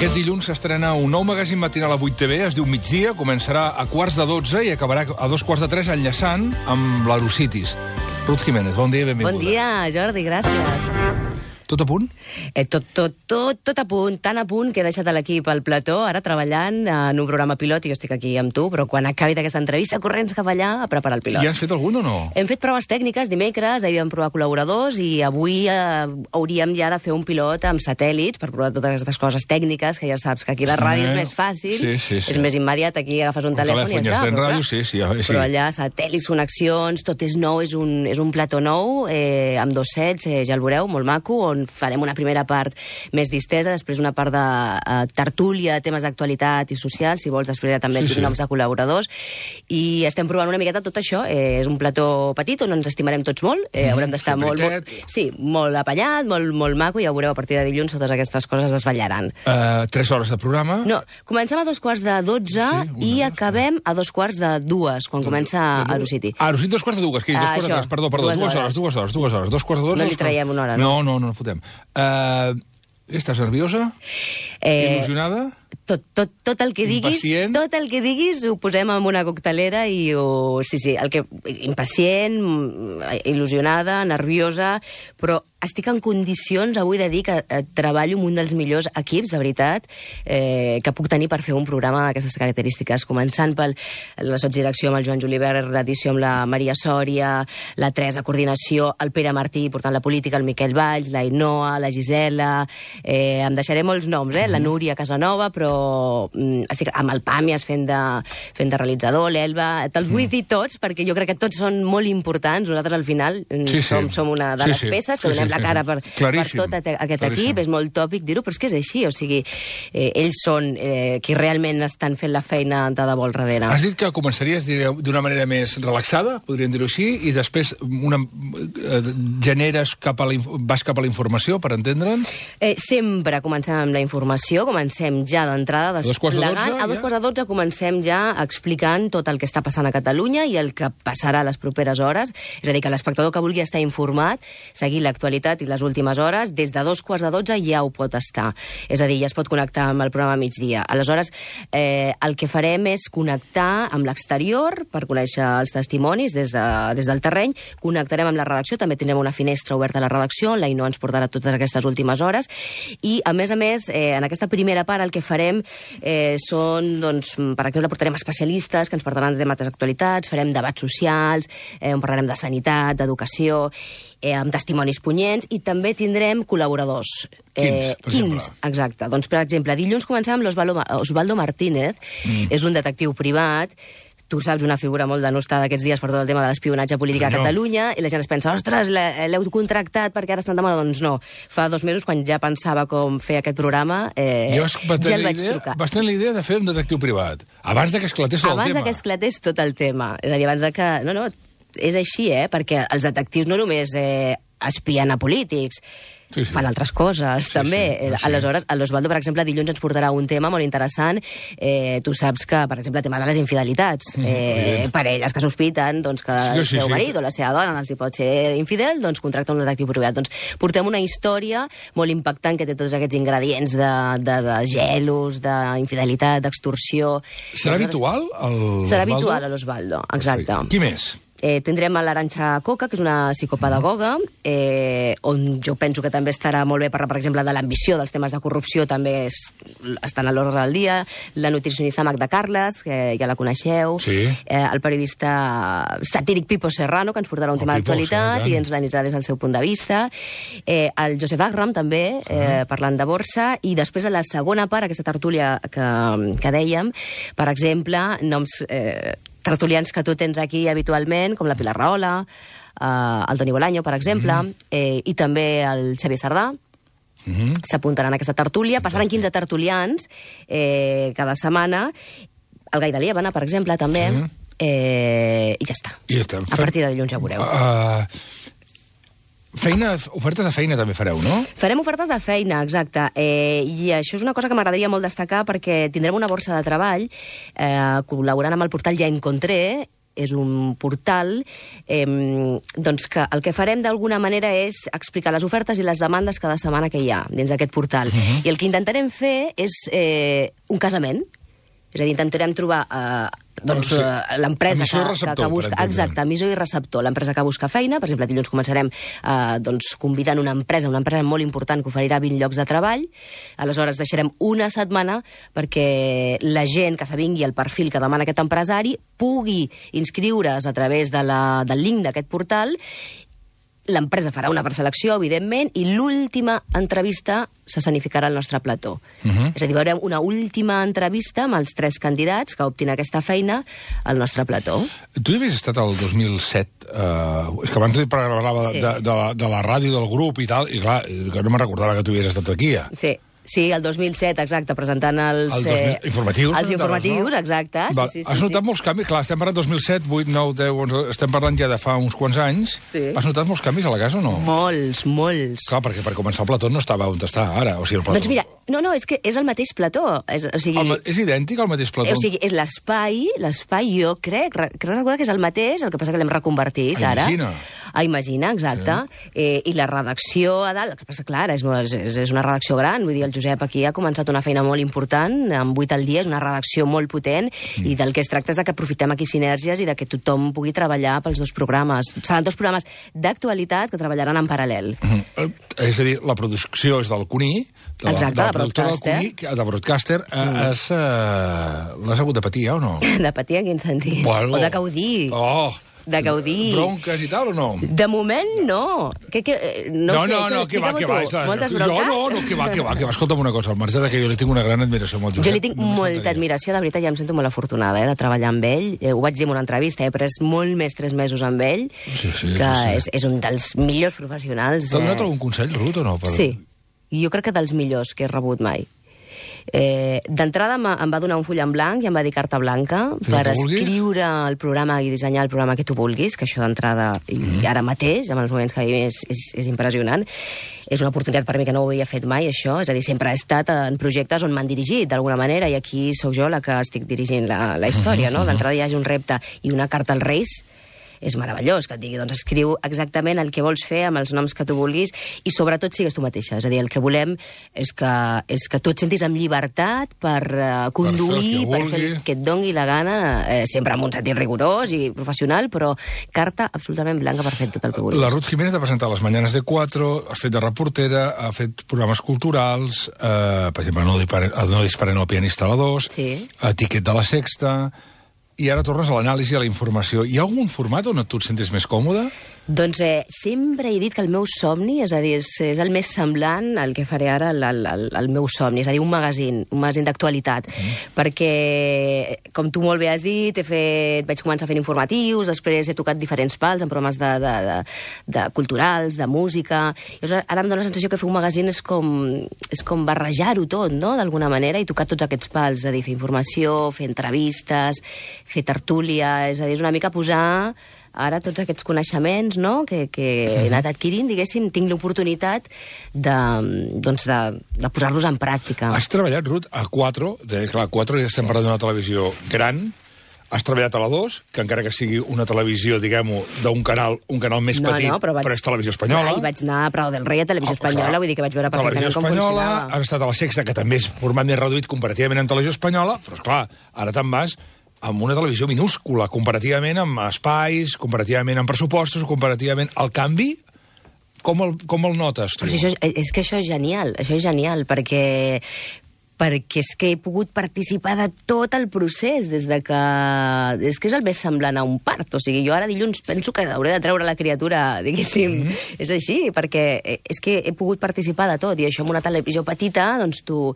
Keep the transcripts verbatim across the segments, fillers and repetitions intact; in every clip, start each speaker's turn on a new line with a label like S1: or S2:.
S1: Aquest dilluns s'estrena un nou magazín matinal a vuit T V, es diu Migdia, començarà a quarts de dotze i acabarà a dos quarts de tres enllaçant amb l'Aerocities. Ruth Jiménez, bon dia i benvinguda.
S2: Bon dia, Jordi, gràcies.
S1: Tot a punt?
S2: Eh, tot, tot, tot, tot a punt, tan a punt que he deixat l'equip al plató, ara treballant en un programa pilot, i jo estic aquí amb tu, però quan acabi d'aquesta entrevista, corrents cap allà a preparar el pilot.
S1: Ja has fet algun o no?
S2: Hem fet proves tècniques dimecres, ahir vam provar col·laboradors, i avui eh, hauríem ja de fer un pilot amb satèl·lits per provar totes aquestes coses tècniques, que ja saps que aquí la ràdio és més fàcil,
S1: sí, sí, sí.
S2: és més immediat, aquí agafes un telèfon, telèfon i ja està.
S1: Ràdio, sí, sí, ja, sí.
S2: Però allà satèl·lits, connexions, tot és nou, és un, és un plató nou, eh, amb dos sets, eh, ja el veureu, molt maco, on farem una primera part més distesa, després una part de uh, tertúlia, temes d'actualitat i social, si vols, després ja també sí, sí. noms de col·laboradors, i estem provant una miqueta tot això. Eh, és un plató petit on ens estimarem tots molt, eh, haurem d'estar molt, molt, sí, molt apanyat, molt, molt maco, i ja veureu a partir de dilluns totes aquestes coses es vetllaran.
S1: Uh, tres hores de programa?
S2: No, comencem a dos quarts de dotze sí, i acabem a dos quarts de dues, quan de, comença Aerocity.
S1: Aerocity, dos quarts de dues, que és dos quarts de tres, perdó, perdó, dues, dues hores, dues hores, dues hores, dos quarts de dotze.
S2: No li traiem una hora, no?
S1: No, no, no, no fotem. Uh, estàs nerviosa?
S2: Eh,
S1: Il·lusionada?
S2: Tot, tot, tot el que diguis,
S1: impacient?
S2: tot el que diguis ho posem en una coctelera i ho... Sí, sí, el que... impacient, il·lusionada, nerviosa, però estic en condicions avui de dir que eh, treballo amb un dels millors equips, de veritat, eh, que puc tenir per fer un programa d'aquestes característiques, començant per la sotsdirecció amb el Joan Julivert, l'edició amb la Maria Sòria, la Teresa, coordinació, el Pere Martí, portant la política, el Miquel Valls, la Inoa, la Gisela... Eh, em deixaré molts noms, eh? La Núria Casanova, però mm, estic amb el Pàmies fent de, fent de realitzador, l'Elba... Te'ls vull dir tots, perquè jo crec que tots són molt importants. Nosaltres, al final, sí, som, sí. som una de
S1: sí,
S2: les
S1: sí.
S2: peces que
S1: sí,
S2: donem
S1: sí,
S2: la cara per, per tot aquest
S1: claríssim.
S2: equip. És molt tòpic dir-ho, però és que és així. O sigui, eh, ells són eh, qui realment estan fent la feina de debò al darrere.
S1: Has dit que començaries d'una manera més relaxada, podríem dir-ho així, i després una, eh, generes cap a la, vas cap a la informació, per entendre'ns?
S2: Eh, sempre comencem amb la informació, comencem ja d'entrada desplegant. A dos quarts de dotze comencem ja explicant tot el que està passant a Catalunya i el que passarà a les properes hores. És a dir, que l'espectador que vulgui estar informat, seguir l'actualitat i les últimes hores, des de dos quarts de dotze ja ho pot estar. És a dir, ja es pot connectar amb el programa migdia. Aleshores, eh, el que farem és connectar amb l'exterior per conèixer els testimonis des, de, des del terreny, connectarem amb la redacció, també tindrem una finestra oberta a la redacció, on la Ino ens portarà totes aquestes últimes hores, i a més a més, eh, en aquesta primera part el que farem eh, són, doncs, per exemple, portarem especialistes que ens portaran de temes d'actualitats, farem debats socials, eh, on parlarem de sanitat, d'educació, eh, amb testimonis punyents, i també tindrem col·laboradors.
S1: Eh, quins, per
S2: quins,
S1: exemple?
S2: exacte. Doncs, per exemple, dilluns comencem amb l'Osvaldo Osvaldo Martínez, mm. és un detectiu privat. Tu saps, una figura molt denostada aquests dies per tot el tema de l'espionatge polític a Catalunya, i la gent es pensa, ostres, l'heu contractat perquè ara estan de moda. Doncs no. Fa dos mesos, quan ja pensava com fer aquest programa, eh, ja el vaig
S1: idea,
S2: trucar.
S1: Vas tenir la idea de fer un detectiu privat, abans de que esclatés tot el
S2: abans
S1: tema.
S2: Abans de que esclatés tot el tema. És a dir, abans de que... No, no, és així, eh? Perquè els detectius no només eh, espien a polítics, sí, sí. fan altres coses, sí, també. Sí, sí. Aleshores, l'Osvaldo, per exemple, dilluns ens portarà un tema molt interessant. Eh, tu saps que, per exemple, el tema de les infidelitats. Mm, eh, parelles que sospiten doncs, que sí, el seu sí, marit sí. o la seva dona els hi pot ser infidel, doncs contracta un detectiu privat. Doncs portem una història molt impactant que té tots aquests ingredients de, de, de gelos, d'infidelitat, d'extorsió.
S1: Serà habitual, el
S2: Serà habitual a l'Osvaldo, exacte.
S1: Perfecte. Qui més?
S2: Eh, tindrem a l'Arantxa Coca, que és una psicopedagoga, eh, on jo penso que també estarà molt bé parlar, per exemple, de l'ambició, dels temes de corrupció, també és, estan a l'ordre del dia. La nutricionista Magda Carles, que ja la coneixeu. Sí. Eh, el periodista satíric Pipo Serrano, que ens portarà un tema d'actualitat i ens l'analitzarà des del seu punt de vista. Eh, el Josep Agram, també, eh, parlant de borsa. I després, a la segona part, aquesta tertúlia que, que dèiem, per exemple, noms... Eh, tertulians que tu tens aquí habitualment, com la Pilar Rahola, eh, el Toni Bolaño, per exemple, mm. eh, i també el Xavier Sardà. Mm-hmm. S'apuntaran a aquesta tertúlia. Passaran quinze tertulians eh, cada setmana. El Gai de Liébana, per exemple, també. Sí. Eh, I ja està.
S1: I ja està.
S2: A partir de dilluns ja veureu.
S1: Uh, feina, ofertes de feina també fareu, no?
S2: Farem ofertes de feina, exacte. Eh, I això és una cosa que m'agradaria molt destacar, perquè tindrem una borsa de treball eh, col·laborant amb el portal Ja Encontré, és un portal eh, doncs que el que farem d'alguna manera és explicar les ofertes i les demandes cada setmana que hi ha dins d'aquest portal. Uh-huh. I el que intentarem fer és eh, un casament. És a dir, intentarem trobar eh, doncs, sí. eh, l'empresa que, que, que busca... Exacte, emissor i receptor. L'empresa que busca feina, per exemple, dilluns començarem eh, doncs, convidant una empresa, una empresa molt important que oferirà vint llocs de treball. Aleshores, deixarem una setmana perquè la gent que s'avingui al perfil que demana aquest empresari pugui inscriure's a través de la, del link d'aquest portal. L'empresa farà una preselecció, evidentment, i l'última entrevista s'escenificarà al nostre plató. Uh-huh. És a dir, veurem una última entrevista amb els tres candidats que optin aquesta feina al nostre plató.
S1: Tu hi havies estat el dos mil set, eh, és que abans parlava sí. de, de, la, de la ràdio del grup i tal, i clar, que no me'n recordava que tu havies estat aquí, ja.
S2: Sí. Sí, el dos mil set, exacte, presentant els...
S1: El dos mil... eh, informatius.
S2: Els informatius, no? Exacte.
S1: Va,
S2: sí, sí,
S1: has
S2: sí,
S1: notat
S2: sí.
S1: molts canvis? Clar, estem parlant dos mil set, vuit, nou, deu, onze... Estem parlant ja de fa uns quants anys.
S2: Sí.
S1: Has notat molts canvis a la casa o no?
S2: Molts, molts.
S1: Clar, perquè per començar el plató no estava on està ara. O sigui, el plató...
S2: Doncs mira, no, no, és que és el mateix plató. És, o sigui...
S1: el, és idèntic al mateix plató?
S2: O sigui, és l'espai, l'espai jo crec, crec recordar que és el mateix, el que passa que l'hem reconvertit
S1: a
S2: ara.
S1: Imagina.
S2: A Imagina, exacte. Sí. Eh, I la redacció a dalt, el que passa, clar, és, és, és una redacció gran, vull dir, el Josep aquí ha començat una feina molt important, amb vuit al dia, és una redacció molt potent, mm. i del que es tracta és de que aprofitem aquí sinergies i de que tothom pugui treballar pels dos programes. Seran dos programes d'actualitat que treballaran en paral·lel.
S1: Mm. És a dir, la producció és del Cuní, de
S2: Exacte,
S1: la, de,
S2: de Broadcaster. Cuní,
S1: de Broadcaster. Mm. Es, uh, l'has hagut de patir, ja, o no?
S2: De patir en quin sentit?
S1: Bueno.
S2: O de gaudir?
S1: Oh!
S2: De gaudir.
S1: Bronques i tal, o no?
S2: De moment, no. Que, que, no,
S1: no,
S2: sé,
S1: no, no, que va, que va.
S2: Moltes
S1: jo
S2: bronques?
S1: no, no, que va, que va, que va. Escolta'm una cosa, al marge de que jo li tinc una gran admiració molt Josep.
S2: Jo li tinc no molta admiració, de veritat, ja em sento molt afortunada, eh, de treballar amb ell. Eh, ho vaig dir en una entrevista, he pres molt més tres mesos amb ell,
S1: sí, sí,
S2: que
S1: sí, sí.
S2: És, és un dels millors professionals.
S1: T'ha donat algun consell, Ruth, o no? Per...
S2: Sí, jo crec que dels millors que he rebut mai. Eh, D'entrada em va donar un full en blanc i em va dir carta blanca
S1: Fins
S2: per escriure el programa i dissenyar el programa que tu vulguis, que això d'entrada mm. i ara mateix, amb els moments que vivim, és, és, és impressionant. És una oportunitat per mi que no ho havia fet mai, això. És a dir, sempre he estat en projectes on m'han dirigit, d'alguna manera, i aquí sou jo la que estic dirigint la, la història, no? D'entrada hi hagi un repte i una carta als Reis, és meravellós, que et digui, doncs escriu exactament el que vols fer amb els noms que tu vulguis i sobretot sigues tu mateixa. És a dir, el que volem és que, és que tu et sentis amb llibertat per uh, conduir, per fer, per fer el que et dongui la gana, eh, sempre amb un sentit rigorós i professional, però carta absolutament blanca per fer tot el que vulguis.
S1: La Ruth Jiménez ha presentat les Mañanes de Cuatro, ha fet de reportera, ha fet programes culturals, eh, per exemple, No, disparen, no disparen al pianista a la dos,
S2: sí.
S1: a Tiquet de la Sexta... I ara tornes a l'anàlisi, a la informació. Hi ha algun format on tu et sentis més còmode?
S2: Doncs eh, sempre he dit que el meu somni, és a dir, és, és el més semblant al que faré ara al, al, al meu somni, és a dir, un magazín, un magazín d'actualitat, mm. perquè, com tu molt bé has dit, he fet, vaig començar fent informatius, després he tocat diferents pals en programes de, de, de, de culturals, de música, i ara em dóna la sensació que fer un magazín és com, és com barrejar-ho tot, no?, d'alguna manera, i tocar tots aquests pals, és a dir, fer informació, fer entrevistes, fer tertúlia, és a dir, és una mica posar ara tots aquests coneixements, no?, que, que he anat adquirint, diguéssim, tinc l'oportunitat de, doncs de, de posar-los en pràctica.
S1: Has treballat, Ruth, a Cuatro, de, clar, Cuatro ja estem parlant d'una televisió gran, has treballat a la dos, que encara que sigui una televisió, diguem-ho, d'un canal, un canal més
S2: no,
S1: petit,
S2: no, però, vaig...
S1: però és televisió espanyola.
S2: Clar, i vaig anar a Prado del Rei a Televisió oh, Espanyola, clar. Vull dir que vaig veure perfectament com funcionava.
S1: Has estat a la Sexta, que també és format més reduït comparativament amb Televisió Espanyola, però, esclar, ara te'n vas amb una televisió minúscula, comparativament amb espais, comparativament amb pressupostos, comparativament... El canvi, com el, com el notes, tu?
S2: Però si això, és que això és genial, això és genial, perquè... perquè és que he pogut participar de tot el procés, des de que... És que és el més semblant a un part. O sigui, jo ara dilluns penso que hauré de treure la criatura, diguéssim. Mm-hmm. És així, perquè és que he pogut participar de tot, i això amb una televisió petita, doncs t'ho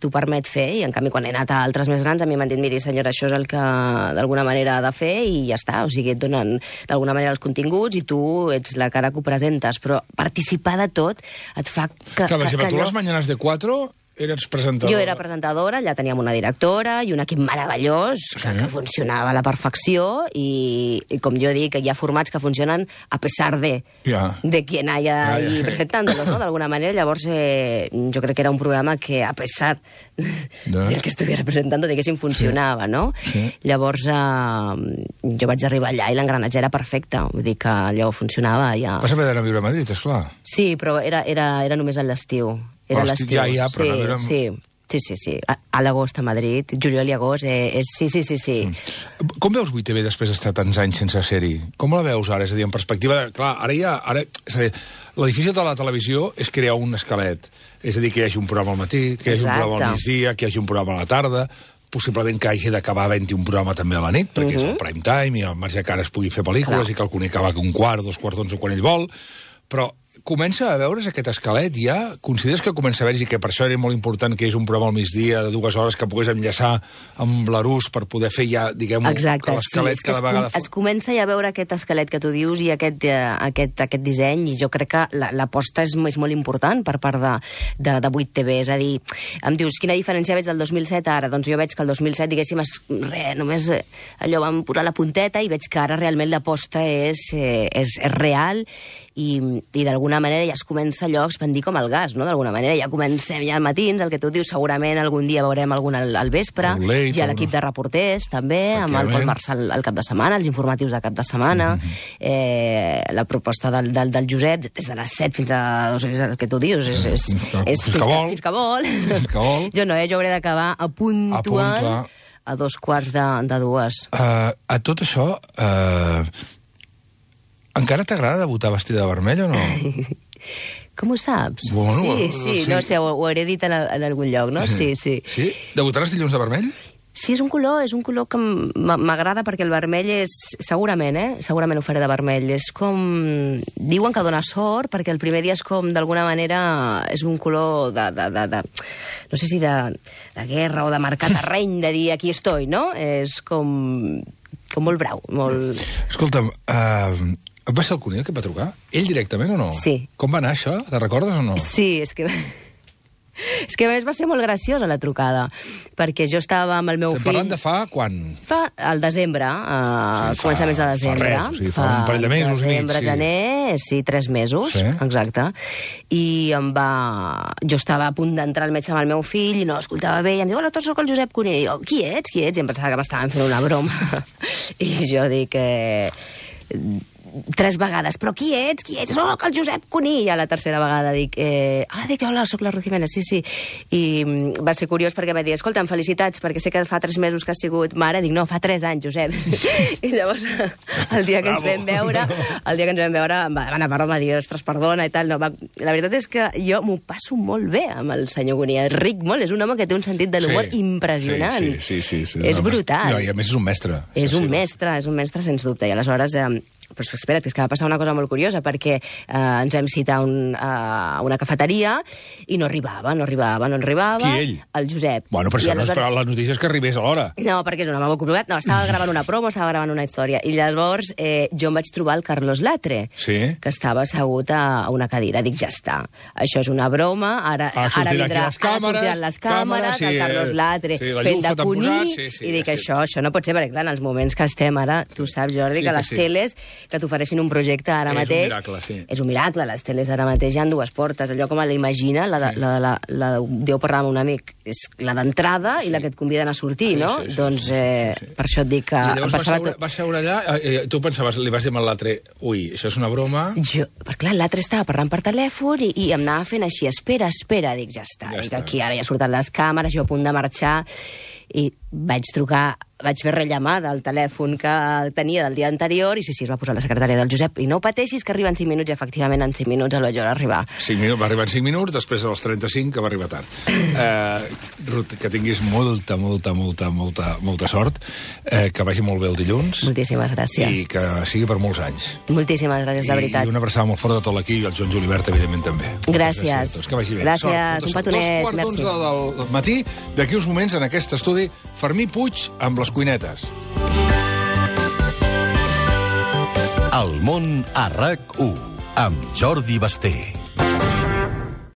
S2: permet fer, i en canvi quan he anat a altres més grans, a mi m'han dit, miri, senyora, això és el que d'alguna manera ha de fer, i ja està. O sigui, et donen d'alguna manera els continguts, i tu ets la cara que ho presentes, però participar de tot et fa que...
S1: Que, per exemple,
S2: que
S1: tu
S2: allò...
S1: les Mañanes de Cuatro... eres presentadora.
S2: Jo era presentadora, allà teníem una directora i un equip meravellós que, sí. que funcionava a la perfecció i, i com jo dic, hi ha formats que funcionen a pesar de,
S1: ja.
S2: de quien haya
S1: ja, ja.
S2: ahí presentándolos, ¿no? D'alguna manera. Llavors, eh, jo crec que era un programa que, a pesar no. del que estuviera presentando, diguéssim, funcionava, sí. no? Sí. Llavors, eh, jo vaig arribar allà i l'engranatge era perfecte. Vull dir que allò funcionava ja.
S1: Vas haver d'anar a viure a Madrid, esclar.
S2: Sí, però era, era, era només a l'estiu. Era l'estiu.
S1: Ja, ja, però
S2: sí,
S1: no era...
S2: sí. Sí, sí, sí. A, a l'agost a Madrid, juliol i agost, eh, és... sí, sí, sí, sí.
S1: Mm. Com veus vuit T V després d'estar tants anys sense ser-hi? Com la veus ara? És a dir, en perspectiva... De... Clar, ara ja... Ara... És a dir, la difícil de la televisió és crear un esquelet. És a dir, que hi hagi un programa al matí, que hi hagi Exacte. un programa al migdia, que hi hagi un programa a la tarda, possiblement que hagi d'acabar havent-hi un programa també a la nit, perquè uh -huh. és el prime time i al marge que ara es pugui fer pel·lícules Clar. i que el Cunit acaba un quart, dos quarts d'onze quan ell vol, però... Comença a veure's aquest esquelet ja? Consideres que comença a veure-hi que per això era molt important que és un programa al migdia de dues hores que pogués enllaçar amb l'Arús per poder fer ja, diguem-ho, que l'esquelet sí, cada vegada...
S2: Es, es comença ja a veure aquest esquelet que tu dius i aquest, eh, aquest, aquest disseny, i jo crec que l'aposta és, és molt important per part de, de, de vuit T V. És a dir, em dius, quina diferència veig del dos mil set ara? Doncs jo veig que el dos mil set, diguéssim, es, re, només eh, allò vam posar la punteta i veig que ara realment l'aposta és, eh, és, és real i, i d'alguna manera ja es comença allò a expandir com el gas, no? D'alguna manera ja comencem ja al matins, el que tu dius, segurament algun dia veurem algun al, al vespre,
S1: late,
S2: hi ha l'equip de reporters també, amb el Pol Marçal al cap de setmana, els informatius de cap de setmana, mm -hmm. eh, la proposta del, del, del Josep des de les set fins a... O sigui, és el que tu dius, és, és, és fins, que vol. fins que vol. Fins que vol. Jo no, eh? Jo hauré d'acabar a puntual a dos quarts de, de dues.
S1: Uh, a tot això... Uh... Encara t'agrada debutar vestida de vermell o no?
S2: Com ho saps?
S1: Bueno,
S2: sí, sí, sí, no sé, ho, ho hauré dit en, en algun lloc, no? Sí, sí.
S1: Sí? Debutaràs dilluns de vermell?
S2: Sí, és un color, és un color que m'agrada perquè el vermell és... Segurament, eh? Segurament ho faré de vermell. És com... Diuen que dona sort perquè el primer dia és com, d'alguna manera, és un color de... de, de, de no sé si de, de guerra o de marcar terreny, de dir aquí estoy, no? És com... com molt brau, molt...
S1: Escolta'm, uh, va ser el Cunit que et va trucar? Ell directament o no?
S2: Sí.
S1: Com va anar això? Te recordes o no?
S2: Sí, és que... És que a més va ser molt graciosa la trucada, perquè jo estava amb el meu
S1: Estem
S2: fill...
S1: parlant de fa quan?
S2: Fa al desembre, uh, sí, començaments de desembre.
S1: Fa res, o sigui, fa, fa un parell de mesos.
S2: Desembre,
S1: sí.
S2: gener, sí, tres mesos,
S1: sí.
S2: exacte. I em va... Jo estava a punt d'entrar al metge amb el meu fill i no escoltava bé, i em diu, hola, tots soc el Josep Cunit. I jo, qui ets, qui ets? I em pensava que m'estaven fent una broma. I jo dic... Eh... tres vegades, però qui ets? Qui ets? Soc el Josep Cuní! I a la tercera vegada dic, eh, ah, dic, hola, soc la Ruth Jiménez, sí, sí. I mm, va ser curiós perquè va dir, escolta'm, felicitats, perquè sé que fa tres mesos que has sigut mare. Dic, no, fa tres anys, Josep. I llavors, el dia que ens vam veure, el dia que ens vam veure, va anar a parlar, va dir, ostres, perdona, i tal. No, va... La veritat és que jo m'ho passo molt bé amb el senyor Cuní. És ric molt, és un home que té un sentit de l'humor sí, impressionant.
S1: Sí, sí, sí, sí, sí.
S2: És brutal.
S1: No, i a més és un mestre.
S2: És un mestre, és un mestre, sens dubte. I aleshores... Eh, però espera't, és que va passar una cosa molt curiosa, perquè eh, ens vam citar un, a una cafeteria i no arribava, no arribava, no arribava.
S1: Qui, ell?
S2: El Josep.
S1: Bueno, però això aleshores... no esperava la notícia és que arribés a l'hora.
S2: No, perquè és un home molt complicat. No, estava gravant una promo, estava gravant una història. I llavors eh, jo em vaig trobar el Carlos Latre,
S1: sí?
S2: que estava assegut a, a una cadira. Dic, ja està, això és una broma, ara,
S1: ah,
S2: ara vindrà,
S1: les càmeres,
S2: ara sortiran les càmeres,
S1: sí,
S2: el Carlos Latre
S1: sí,
S2: fent de Cuní,
S1: sí, sí,
S2: i dic,
S1: ja
S2: això, això no pot ser, perquè clar, en els moments que estem ara, tu saps, Jordi,
S1: sí,
S2: que
S1: que
S2: les
S1: sí.
S2: teles que t'ofereixin un projecte ara
S1: és
S2: mateix...
S1: És un miracle, sí.
S2: És un miracle, les teles ara mateix hi ha dues portes. Allò com l'imagina, la, de, sí. la, la, la, la Déu parlar amb un amic, és la d'entrada sí. i la que et conviden a sortir,
S1: sí,
S2: no?
S1: Sí, sí,
S2: doncs
S1: sí, sí,
S2: eh,
S1: sí, sí.
S2: per això et dic que...
S1: I llavors va seure,
S2: tot...
S1: va seure allà, eh, tu pensaves, li vas dir amb l'altre, ui, això és una broma...
S2: Jo, perquè clar, l'altre estava parlant per telèfon i, i em anava fent així, espera, espera, dic, ja està,
S1: ja
S2: dic,
S1: està.
S2: Aquí ara ja surten les càmeres, jo a punt de marxar, i vaig trucar, vaig fer rellamada al telèfon que tenia del dia anterior i sí, sí, es va posar la secretària del Josep i no pateixis que arriba en cinc minuts i efectivament en cinc minuts el vaig veure arribar.
S1: cinc minuts, va arribar en cinc minuts, després dels trenta-cinc que va arribar tard. Uh, Ruth, que tinguis molta, molta, molta, molta, molta sort, uh, que vagi molt bé el dilluns.
S2: Moltíssimes gràcies.
S1: I que sigui per molts anys.
S2: Moltíssimes gràcies, de veritat.
S1: I una abraçada molt forta de tot l'equip i el Joan Julibert, evidentment, també.
S2: Gràcies.
S1: Gràcies. Que vagi bé.
S2: Gràcies, sort, un petonet.
S1: Dos quarts d'onze del matí, d'aquí uns moments, en aquest estudi, Fermí Puig amb les cuinetes.
S3: El món a RAC u, amb Jordi Basté.